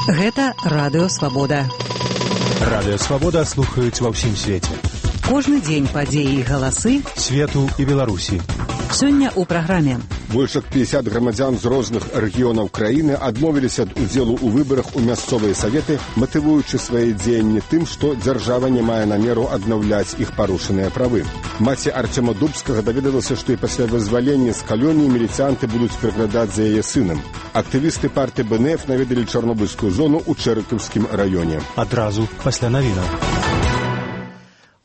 Гэта Радыё Свабода. Радыё Свабода слухаюць ва ўсім свеце. Кожны дзень падзеі і галасы свету і Беларусі. Сёння ў праграме. Больш як 50 грамадзян з розных рэгіёнаў краіны адмовіліся ад удзелу ў выбарах у мясцовыя саветы, матывуючы свае дзеянні тым, што дзяржава не мае намеру аднаўляць іх парушаныя правы. Маці Арцёма Дубскага даведалася, што і пасля вызвалення з калоніі міліцыянты будуць прыглядаць за яе сынам. Актывісты партыі БНФ наведалі Чарнобыльскую зону ў Чэрыкаўскім раёне. Адразу пасля навінаў.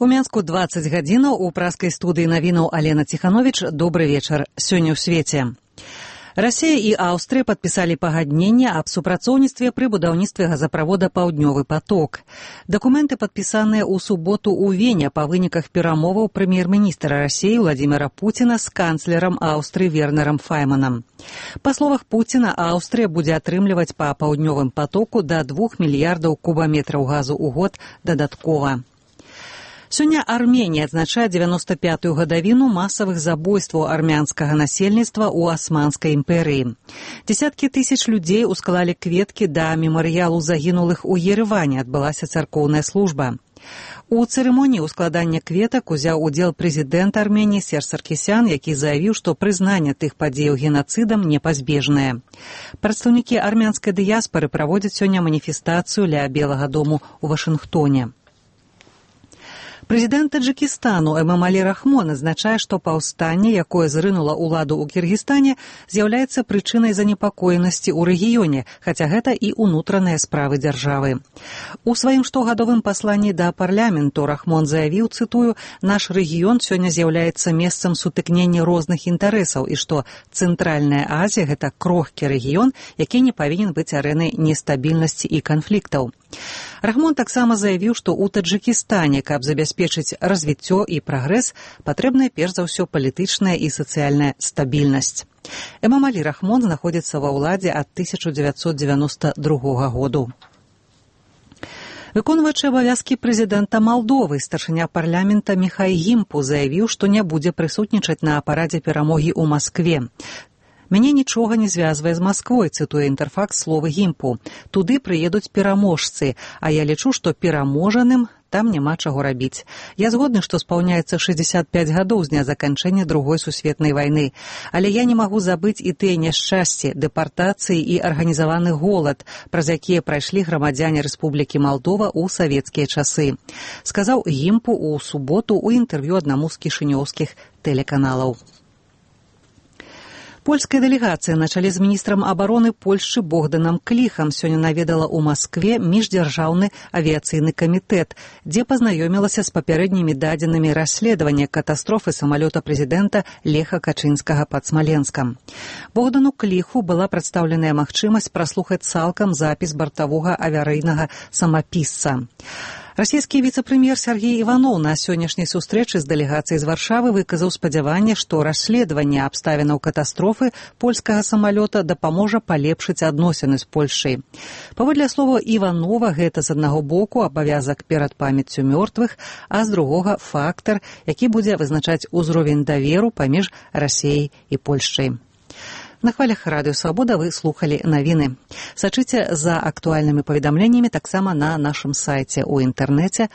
У Менску 20 гадзінаў у праскай студыі навінаў Алена Ціхановіч. Добры вечар. Сёння ў свеце. Расія і Аўстрыя падпісалі пагадненне аб супрацоўніцтве пры будаўніцтве газаправода «Паўднёвы поток». Дакументы падпісаныя ў суботу ў Вене па выніках перамоваў прэм'ер-міністра Расіі Владзіміра Пуціна з канцлерам Аўстрыі Вернерам Файманам. Па словах Пуціна, Аўстрыя будзе атрымліваць па «Паўднёвым потоку» да 2 мільярдаў кубаметраў газу ў год дадаткова. Сёння Арменія адзначае 95-ю гадавіну масавых забойстваў армянскага насельніцтва ў Асманскай імперыі. Дзесяткі тысяч людзей усклалі кветкі да мемарыялу загінулых у Ереване, адбылася царкоўная служба. У цырымоніі ускладання кветак узяў удзел прэзідэнт Арменіі Серж Саркісян, які заявіў, што прызнанне тых падзеяў генацыдам непазбежнае. Прадстаўнікі армянскай дыяспары праводзяць сёння маніфестацыю ля Белага дому ў Вашынгтоне. Прэзідэнт Таджыкістану Эмомалі Рахмон адзначае, што паўстанне, якое зрынула ўладу ў Кіргізстане, з'яўляецца прычынай занепакоенасці ў рэгіёне, хаця гэта і ўнутраныя справы дзяржавы. У сваім штогадовым пасланні да парламенту Рахмон заявіў, цытую, «Наш рэгіён сёння з'яўляецца месцам сутыкнення розных інтарэсаў» і што Цэнтральная Азія – гэта крохкі рэгіён, які не павінен быць арэнай нестабільнасці і канфліктаў. Рахмон таксама заявіў, што ў Таджыкістане, каб забяспечыць развіццё і прагрэс, патрэбная перш за ўсё палітычная і сацыяльная стабільнасць. Эмомалі Рахмон знаходзіцца ва ўладзе ад 1992 году. Выконваючы абавязкі прэзідэнта Малдовы, старшыня парламента Міхай Гімпу заявіў, што не будзе прысутнічаць на парадзе перамогі ў Маскве. «Мяне нічога не звязвае з Масквой», цытуе Інтэрфакс словы Гімпу. «Туды прыедуць пераможцы, а я лічу, што пераможаным там няма чаго рабіць. Я згодны, што спаўняецца 65 гадоў з дня заканчэння Другой сусветнай вайны, але я не магу забыць і тыя няшчасці, дэпартацыі і арганізаваны голад, праз якія прайшлі грамадзяне Рэспублікі Малдова ў савецкія часы», сказаў Гімпу ў суботу ў інтэрв'ю аднаму з кішынёўскіх тэлеканалаў. Польская дэлегацыя на чале з міністрам абароны Польшчы Богданам Кліхам сёння наведала ў Маскве міждзяржаўны авіяцыйны камітэт, дзе пазнаёмілася з папярэднімі дадзенымі расследавання катастрофы самалёта прэзідэнта Леха Качынскага пад Смаленскам. Богдану Кліху была прадстаўленая магчымасць праслухаць цалкам запіс бартавога аварыйнага самапісца. Расійскі віцэ-прэм'ер Сергей Іваноў на сённяшняй сустрэчы з дэлегацыяй з Варшавы выказаў спадзяванне, што расследаванне абставінаў катастрофы польскага самалёта дапаможа палепшыць адносіны з Польшай. Паводле слова Іванова, гэта з аднаго боку абавязак перад памяццю мёртвых, а з другога фактар, які будзе вызначаць узровень даверу паміж Расіяй і Польшчай. На хвалях Радыё Свабода вы слухалі навіны. Сачыце за актуальнымі паведамленнямі таксама на нашым сайце ў інтэрнэце